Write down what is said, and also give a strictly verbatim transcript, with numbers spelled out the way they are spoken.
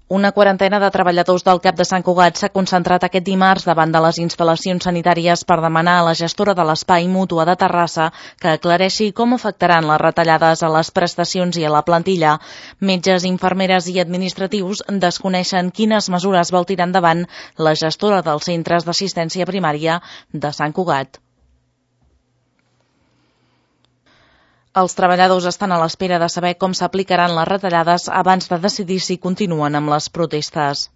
Una quarantena de treballadors del C A P de Sant Cugat s'ha concentrat aquest dimarts davant de les instal·lacions sanitàries per demanar a la gestora de l'Espai Mútua de Terrassa que aclareixi com afectaran les retallades a les prestacions i a la plantilla. Metges, infermeres i administratius desconeixen quines mesures vol tirar endavant la gestora dels centres d'assistència primària de Sant Cugat. Els treballadors estan a l'espera de saber com s'aplicaran les retallades abans de decidir si continuen amb les protestes.